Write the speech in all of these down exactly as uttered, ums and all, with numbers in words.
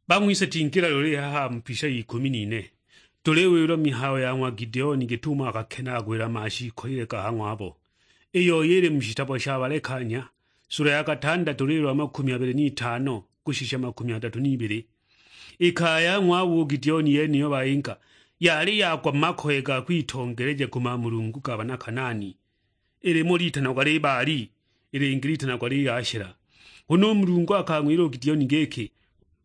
Bang'wise tingila loli haha mu pisha y'ikumi n'ine, tuliwilwa mihayo ya ng'wa Gideoni git'umo akakenaagulila mashiikolile ga ha ng'wabo, iyo yili mu shitabo sha Balekanya, sula ya katandatu, lilo lwa makumi abili n'itano kushisha makumi adatu n'ibili. I kaya ya ng'wabo u Gideoni yeniyo bayinga, yali yagwa mu makoye ga kwitongeleja ku mamulungu ga bana Kanaani. I limo litanagwa li Baali, i lingi litanagwa li Ashela. Huna u Mulungu akang'wila u Gideoni giki,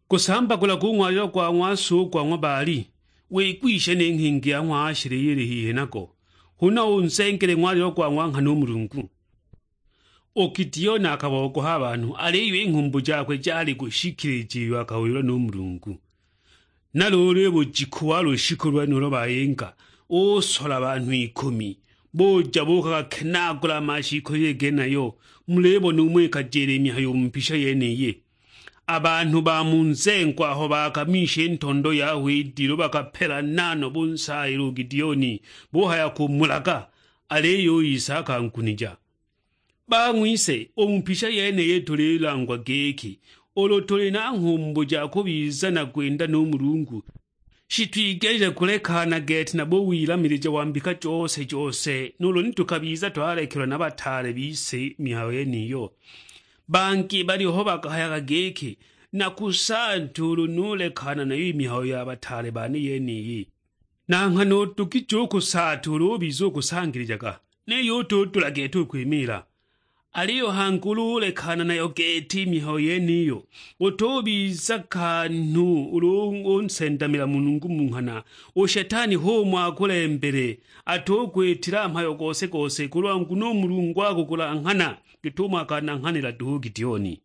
"Gusambagulaga u ng'walilo gwa ng'wa so gwa ng'wa Baali, wigwishe ni nghingi ya ng'wa Ashela iyo ili hihi nago, huna unzengele ng'walilo gwa ng'wa nghana u Mulungu." U Gideoni akabogoha a banhu, aliyo i nghumbu jakwe jali kushikilija iyo akawilwa nu Mulungu. Na luulu i bujiku wa lushiku lwenulo bayinga, usola banhu ikumi, buja buukakenaagula a mashiikolile genayo. Mulibona umo ikajila i mihayo u mu mpisha yeniyi. A banhu ba mu nzengo aho bakamisha i ntondo yaho i dilu, bakapelana no bunsaayila u Gideoni, buhaya kumulaga, aliyo u Isa akangunija. Bang'wise, u mu mpisha yeniyi tulilangwa giki, ulu tuli na nghumbu ja kubiza na kwinda nu Mulungu, shitwigelile kulekana gete na buwilamilija wa mbika jose jose, nuulu ni tukabiza twalekelwa na bataale bise mihayo yeniyo. Bangi baliho bakahayaga giki, "Nakusaata ulu nulekana nayo i mihayo ya bataale bane yeniyi." Na nghana udugije u kusaata ulu ubiza ukusangilijaga, niyo utudula gete u kwimiila. Aliyo hangi ulu ulekana nayo gete i mihayo yeniyo, utubiza kanhu ulu unsendamila Mulungu mu nghana, u Shetani h'umo akulembele, atukwitila mhayo gose-gose, kulwa nguno u Mulungu akukulanghana git'umo akananghanila duhu u Gideoni.